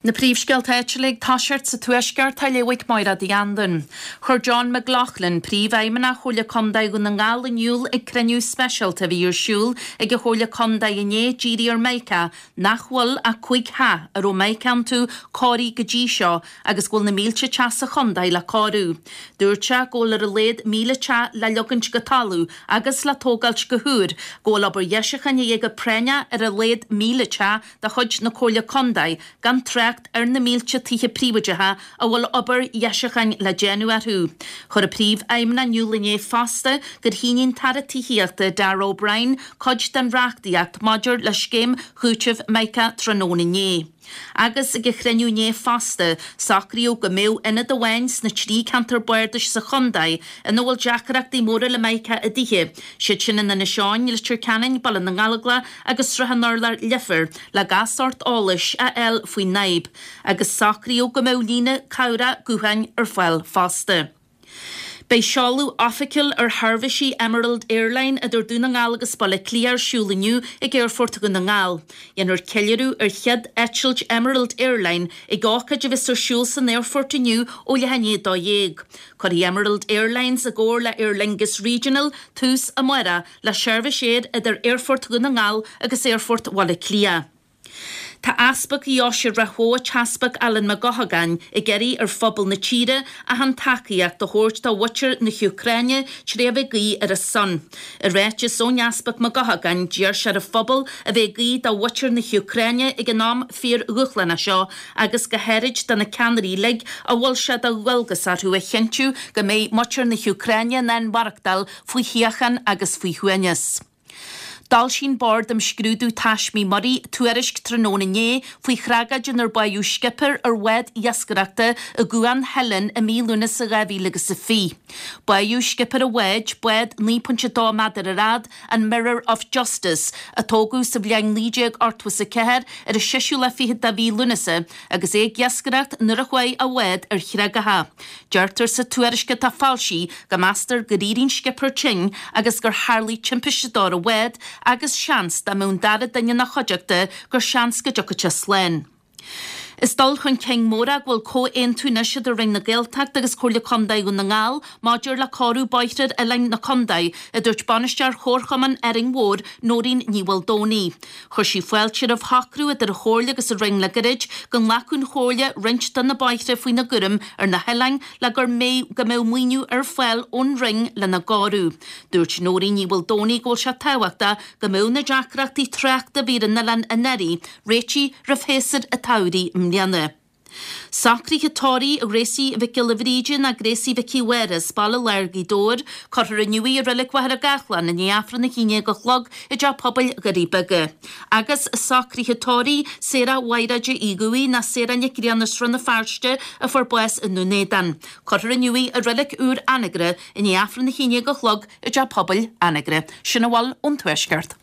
Na príomhscéalta áitiúla ag toiseacht sa Tuaisceart á léamh ag Máire Uí Anluain. Chuir John McLaughlin, Príomhfheidhmeannach Chomhairle Contae Dhún na nGall in iúl ag cruinniú speisialta a bhí ar siúl ag an Chomhairle Contae inné dírithe ar Micah nach bhfuil ach 5 theach a raibh Mica iontu cóirithe go dtí seo agus go bhfuil na mílte teach sa chontae le cóiriú. Dúirt sé go bhfuil ar a laghad 1,000 teach le leogaint go talamh agus le tógáilt go húr, go bhfuil obair dheisiúcháin a dhíth go práinneach ar a laghad 1,000 teach de chuid na Comhairle Contae, gan trácht ar na mílte tithe príobháideacha a bhfuil obair dheisiúcháin le déanamh orthu. Chuir an Príomhfheidhmeannach in iúl inné fosta gur shínigh an tAire Tithíochta, Darragh O'Brien, cuid den reachtaíocht maidir le scéim chúitimh Mica tráthnóna inné. Agus ag an chruinniú inné fosta, socraíodh go mbeadh ionad amháin sna trí ceantar bardais sa chontae ina bhfuil deacrachtaí móra le Mica i dtithe, siad sin in Inis Eoghain, Leitir Ceanainn, Baile na nGallóglach agus Srath an Urláir, Leifear, le gach sórt eolais a fháil faoin fhadhb, agus socraíodh go mbeadh líne cabhrach gutháin ar fáil fosta. Beidh seoladh oifigiúil ar sheirbhísí Emerald Airline idir Dún na nGall agus Baile Átha Cliath ar siúl inniu ag Aerfort Dhún na nGall. Dhéanfar ceiliúradh ar chéad eitilt Emerald Airline ag ócáid a bheas ar siúl san aerfort inniu ó leath i ndiaidh 12. Cuirfidh Emerald Airlines i gcomhar le Aer Lingus Regional tús amárach le seirbhís aeir idir Aerfort Dhún na nGall agus Aerfort Bhaile Átha Cliath. Tá Easpag Dheoise Ráth Bhoth, an tEaspag Alan Mac Eochagáin, ag iarraidh ar phobal na tíre achan tacaíocht a thabhairt do mhuintir na hÚcráine tré a bheith ag guí ar a son. I ráiteas ón Easpag Mac Eochagáin, d'iarr sé ar an phobal a bheith ag guí do mhuintir na hÚcráine ag an am fíor-dhúshlánach seo agus go háirid do na ceannairí uilig a bhfuil sé de dhualgas orthu a chinntiú go mbeidh muintir na hÚcráine in ann maireachtáil faoi shíocháin agus faoi shuaimhneas. D'fhoilsigh an Bord um Scrúdú Taismí Muirí tuairisc tráthnóna inné faoi thragóid inar báitheadh scipéir ar bhád iascaireachta i gCuan Theilinn i mí Lúnasa 2020. Báitheadh scipéir an bháid, bád 9.2 méadar ar fhad, an Mirror of Justice, a tógadh sa bhliain 1984 ar an seisiú lá fichead de mhí Lúnasa agus é ag iascaireacht nuair a chuaigh a bhád ar chreagacha. Deirtear sa tuairisc atá foilsithe go meastar gur éirigh an scipéir tinn agus gur tharlaigh timpiste dó ar an bhád agus seans dá mbeadh an dara duine ina chuideachta gur seans go dtiocfadh sé slán. Is dul chun cinn mór é go bhfuil comhaontú anois idir Roinn na Gaeltachta agus Comhairle Contae Dhún na nGall maidir le cóiriú bóithre ar oileáin na contae, a dúirt Bainisteoir Chomharchumann Árainn Mhór, Nóirín Ní Mhaoldomhnaigh. Chuir sí fáilte roimh shocrú idir an Chomhairle agus an Roinn le gairid go nglacfadh an Chomhairle roinnt de na bóithre faoina gcúram ar na hoileáin le gur mbeidh go mbeadh maoiniú ar fáil ón Roinn lena gcóiriú. Dúirt Nóirín Ní Mhaoldomhnaigh go bhfuil sé tábhachtach go mbeadh na deacrachtaí tráchta a bhí ar an oileán anuraidh réitithe roimh shéasúr an tsamhraidh i mbliana. Socruithe tórraimh Ghracie Mhic Giolla Bhríde ná Gracie Mhicí Mháire as Baile Láir Ghaoth Dobhair, cuirfear inniu í i Reilig Mhachaire Gathlán i ndiaidh Aifreann 11 a chlog i dTeach Pobail Dhoirí Beaga. Agus socruithe tórraimh Sarah Mhaighréide Uí Dhubhthaigh ná Sarah Nic Grianna Srath na Feirste a fuair bás i nDún Éideann. Cuirfear inniu í i Reilig Úr Anagaire i ndiaidh Aifreann 11 a chlog i dTeach Pobail Anagaire. Sin a bhfuil ón Tuaisceart.